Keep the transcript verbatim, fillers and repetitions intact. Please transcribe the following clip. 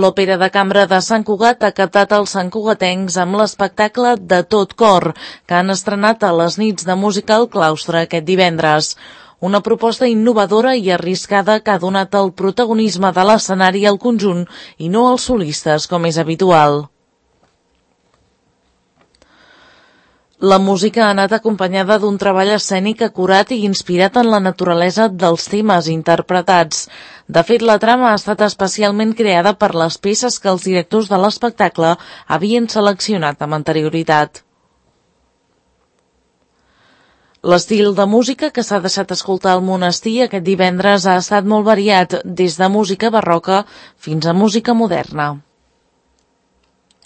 L'Òpera de Cambra de Sant Cugat ha captat els santcugatencs amb l'espectacle De tot cor, que han estrenat a les nits de música al claustre aquest divendres. Una proposta innovadora i arriscada que ha donat el protagonisme de l'escenari al conjunt i no als solistes, com és habitual. La música ha anat acompanyada d'un treball escènic acurat i inspirat en la naturalesa dels temes interpretats. De fet, la trama ha estat especialment creada per les peces que els directors de l'espectacle havien seleccionat amb anterioritat. L'estil de música que s'ha deixat escoltar al monestir aquest divendres ha estat molt variat, des de música barroca fins a música moderna.